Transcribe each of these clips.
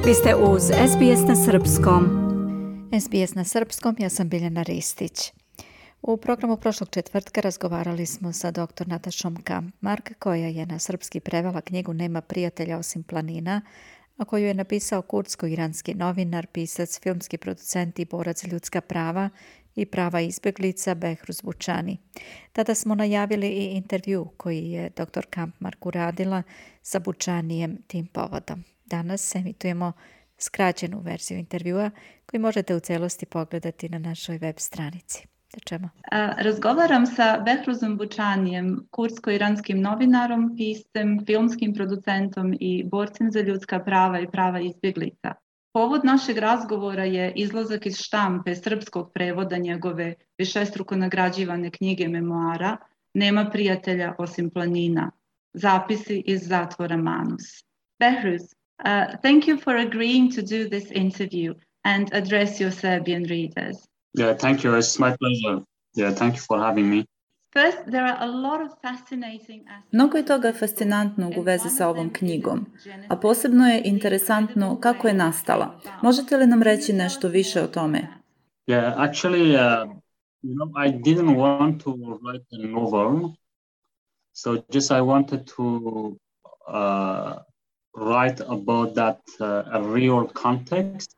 Vi ste uz SBS na Srpskom. SBS na Srpskom, ja sam Biljana Ristić. U programu prošlog četvrtka razgovarali smo sa dr. Natašom Kampmark, koja je na srpski prevela knjigu Nema prijatelja osim planina, a koju je napisao kurdsko-iranski novinar, pisac, filmski producent i borac za ljudska prava i prava izbjeglica Behruz Bučani. Tada smo najavili i intervju koji je dr. Kampmark uradila sa Bučanijem tim povodom. Danas emitujemo skraćenu verziju intervjua koji možete u celosti pogledati na našoj web stranici. Da čemu? Razgovaram sa Behruzom Bučanijem, kurdsko-iranskim novinarom, piscem, filmskim producentom i borcem za ljudska prava i prava izbjeglica. Povod našeg razgovora je izlazak iz štampe srpskog prevoda njegove višestruko nagrađivane knjige memoara Nema prijatelja osim planina. Zapisi iz zatvora Manus. Behruz, thank you for agreeing to do this interview and address your Serbian readers. Yeah, thank you. It's my pleasure. Yeah, thank you for having me. First, there are a lot of fascinating aspects. Mnogo je toga fascinantnog u vezi sa ovom knjigom, a posebno je interesantno kako je nastala. Možete li nam reći nešto više o tome? Yeah, actually, I didn't want to write a novel, so just I wanted to write about that a real context.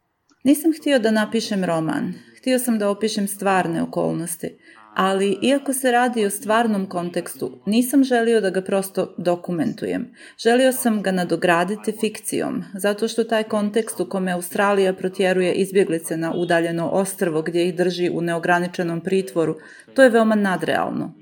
Nisam htio da napišem roman, htio sam da opišem stvarne okolnosti, ali iako se radi o stvarnom kontekstu, nisam želio da ga prosto dokumentujem. Želio sam ga nadograditi fikcijom, zato što taj kontekst u kome Australija protjeruje izbjeglice na udaljeno ostrvo gdje ih drži u neograničenom pritvoru, to je veoma nadrealno.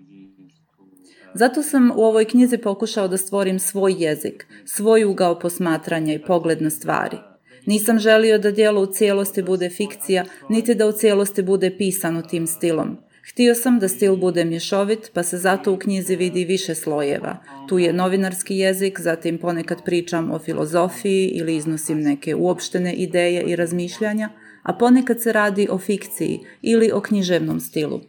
Zato sam u ovoj knjizi pokušao da stvorim svoj jezik, svoj ugao posmatranja i pogled na stvari. Nisam želio da djelo u cijelosti bude fikcija, niti da u cijelosti bude pisano tim stilom. Htio sam da stil bude mješovit, pa se zato u knjizi vidi više slojeva. Tu je novinarski jezik, zatim ponekad pričam o filozofiji ili iznosim neke uopštene ideje i razmišljanja, a ponekad se radi o fikciji ili o književnom stilu.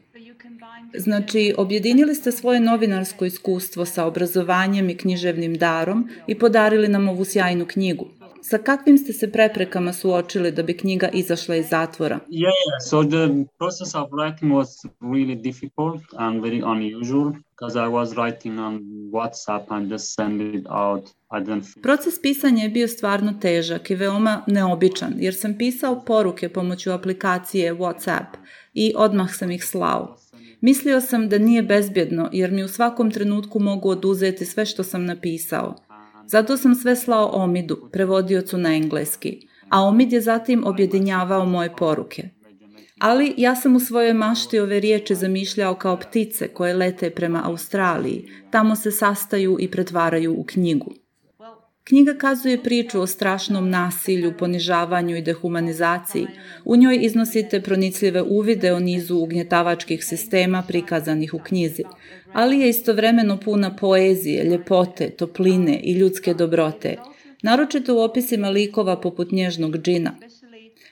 Znači, objedinili ste svoje novinarsko iskustvo sa obrazovanjem i književnim darom i podarili nam ovu sjajnu knjigu. Sa kakvim ste se preprekama suočili da bi knjiga izašla iz zatvora? Yeah. So the process of writing was really difficult and very unusual because I was writing on WhatsApp and just send it out. Proces pisanja je bio stvarno težak i veoma neobičan, jer sam pisao poruke pomoću aplikacije WhatsApp i odmah sam ih slao. Mislio sam da nije bezbjedno, jer mi u svakom trenutku mogu oduzeti sve što sam napisao. Zato sam sve slao Omidu, prevodiocu na engleski, a Omid je zatim objedinjavao moje poruke. Ali ja sam u svojoj mašti ove riječi zamišljao kao ptice koje lete prema Australiji, tamo se sastaju i pretvaraju u knjigu. Knjiga kazuje priču o strašnom nasilju, ponižavanju i dehumanizaciji. U njoj iznosite pronicljive uvide o nizu ugnjetavačkih sistema prikazanih u knjizi, ali je istovremeno puna poezije, ljepote, topline i ljudske dobrote, naročito u opisima likova poput nježnog džina.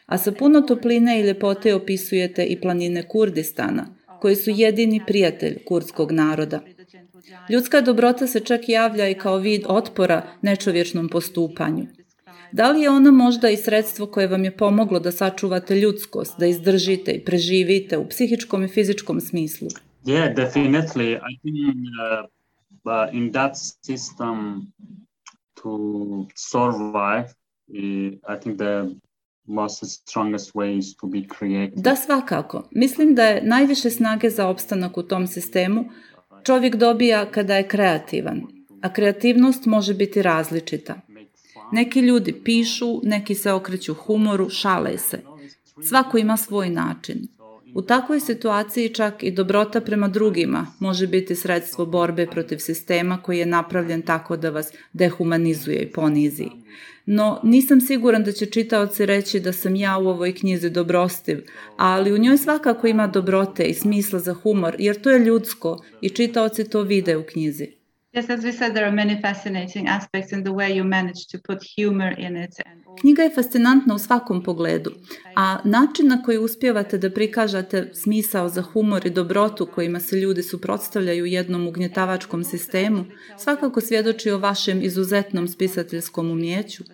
A sa puno topline i ljepote opisujete i planine Kurdistana, koji su jedini prijatelj kurdskog naroda. Ljudska dobrota se čak javlja i kao vid otpora nečovječnom postupanju. Da li je ona možda i sredstvo koje vam je pomoglo da sačuvate ljudskost, da izdržite i preživite u psihičkom i fizičkom smislu? Yeah, definitely. I think in that system to survive, I think the most strongest way is to be creative. Da, svakako. Mislim da je najviše snage za opstanak u tom sistemu čovjek dobija kada je kreativan, a kreativnost može biti različita. Neki ljudi pišu, neki se okreću humoru, šale se. Svako ima svoj način. U takvoj situaciji čak i dobrota prema drugima može biti sredstvo borbe protiv sistema koji je napravljen tako da vas dehumanizuje i ponizi. No, nisam siguran da će čitaoci reći da sam ja u ovoj knjizi dobrostiv, ali u njoj svakako ima dobrote i smisla za humor, jer to je ljudsko i čitaoci to vide u knjizi. Yes, as we said, there are many fascinating aspects in the way you manage to put humor in it. Knjiga je fascinantna u svakom pogledu, a način na koji uspijevate da prikažete smisao za humor i dobrotu kojima se ljudi suprotstavljaju jednom ugnjetavačkom sistemu svakako svjedoči o vašem izuzetnom spisateljskom umjeću.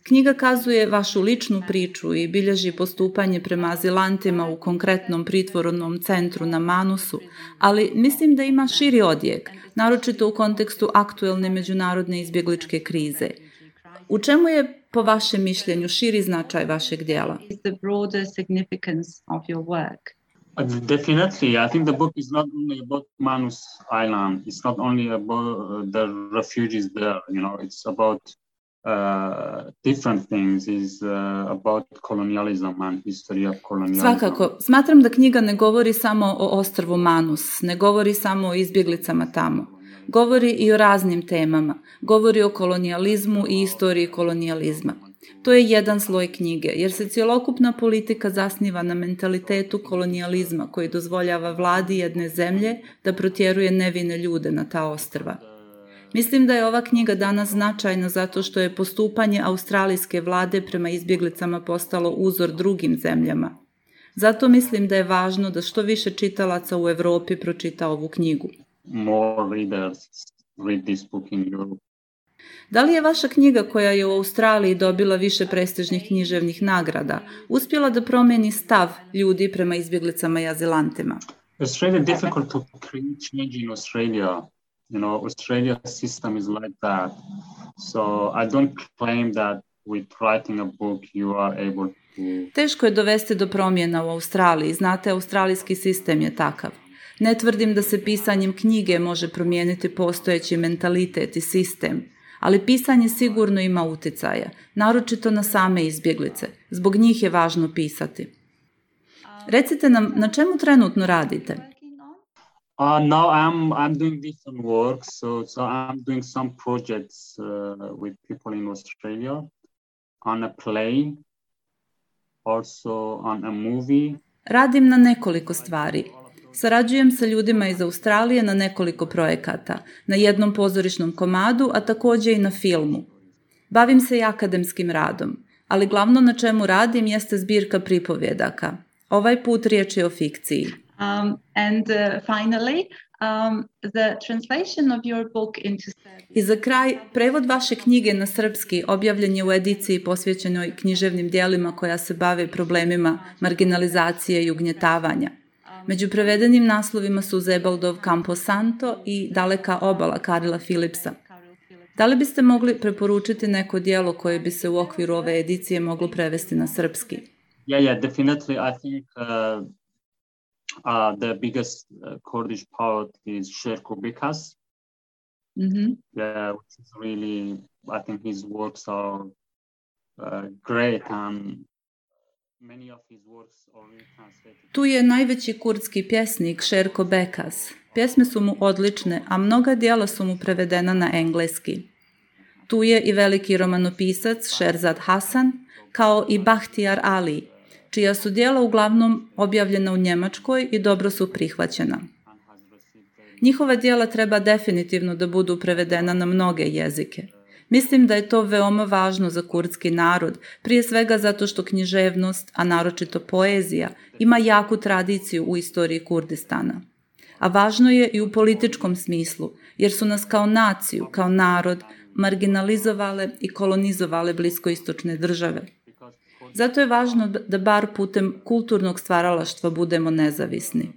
Knjiga kazuje vašu ličnu priču i bilježi postupanje prema azilantima u konkretnom pritvornom centru na Manusu, ali mislim da ima širi odjek, naročito u kontekstu aktuelne međunarodne izbjegličke krize. U čemu je, po vašem mišljenju, širi značaj vašeg djela? Definitely, I think the book is not only about Manus Island. It's not only about the refugees there. It's about different things. It's about colonialism and history of colonialism. Svakako, smatram da knjiga ne govori samo o ostrvu Manus, ne govori samo o izbjeglicama tamo. Govori i o raznim temama. Govori o kolonijalizmu i istoriji kolonijalizma. To je jedan sloj knjige, jer se cjelokupna politika zasniva na mentalitetu kolonijalizma koji dozvoljava vladi jedne zemlje da protjeruje nevine ljude na ta ostrva. Mislim da je ova knjiga danas značajna zato što je postupanje australijske vlade prema izbjeglicama postalo uzor drugim zemljama. Zato mislim da je važno da što više čitalaca u Europi pročita ovu knjigu. More readers read this book in Europe. Da li je vaša knjiga koja je u Australiji dobila više prestižnih književnih nagrada uspjela da promijeni stav ljudi prema izbjeglicama i azilantima? It's really difficult to create change in Australia. Australia's system is like that. So I don't claim that with writing a book you are able to... Teško je dovesti do promjena u Australiji. Znate, australijski sistem je takav. Ne tvrdim da se pisanjem knjige može promijeniti postojeći mentalitet i sistem, ali pisanje sigurno ima utjecaja, naročito na same izbjeglice. Zbog njih je važno pisati. Recite nam, na čemu trenutno radite? Now I'm doing different work, so I'm doing some projects with people in Australia on a play, also on a movie. Radim na nekoliko stvari. Sarađujem sa ljudima iz Australije na nekoliko projekata, na jednom pozorišnom komadu, a također i na filmu. Bavim se i akademskim radom, ali glavno na čemu radim jeste zbirka pripovjedaka. Ovaj put riječ je o fikciji. Finally, the translation of your book into Serbian. I za kraj, prevod vaše knjige na srpski objavljen je u ediciji posvećenoj književnim djelima koja se bave problemima marginalizacije i ugnjetavanja. Među prevedenim naslovima su Zebaldov Camposanto i Daleka obala Karila Philipsa. Da li biste mogli preporučiti neko djelo koje bi se u okviru ove edicije moglo prevesti na srpski? Yeah, definitely. I think the biggest Kurdish poet is Sherko Bekas. Mm-hmm. Yeah, which is really, I think his works are great and many of his works are really translated. Tu je najveći kurdski pjesnik Sherko Bekas. Pjesme su mu odlične, a mnoga djela su mu prevedena na engleski. Tu je i veliki romanopisac Sherzad Hasan, kao i Bahtijar Ali, čija su djela uglavnom objavljena u Njemačkoj i dobro su prihvaćena. Njihova djela treba definitivno da budu prevedena na mnoge jezike. Mislim da je to veoma važno za kurdski narod, prije svega zato što književnost, a naročito poezija, ima jaku tradiciju u istoriji Kurdistana. A važno je i u političkom smislu, jer su nas kao naciju, kao narod, marginalizovale i kolonizovale bliskoistočne države. Zato je važno da bar putem kulturnog stvaralaštva budemo nezavisni.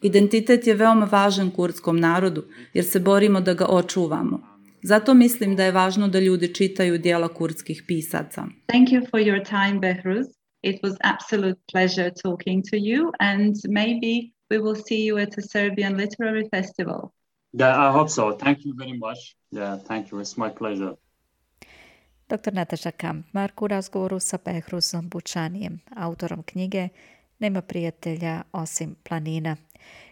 Identitet je veoma važan kurdskom narodu, jer se borimo da ga očuvamo. Zato mislim da je važno da ljudi čitaju djela kurdskih pisaca. Thank you for your time, Behruz. It was absolute pleasure talking to you, and maybe we will see you at a Serbian literary festival. Yeah, I hope so. Thank you very much. Yeah, thank you. It's my pleasure. Dr. Nataša Kampmark u razgovoru sa Behruzom Bučanijem, autorom knjige Nema prijatelja osim planina,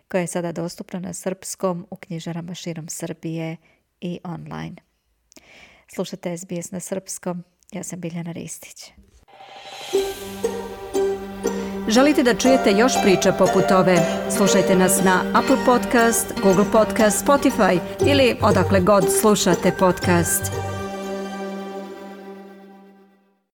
koja je sada dostupna na srpskom u knjižarama širom Srbije i online. Slušate SBS na srpskom, ja sam Biljana Ristić. Želite da čujete još priča poput ove? Slušajte nas na Apple Podcast, Google Podcast, Spotify ili odakle god slušate podcast.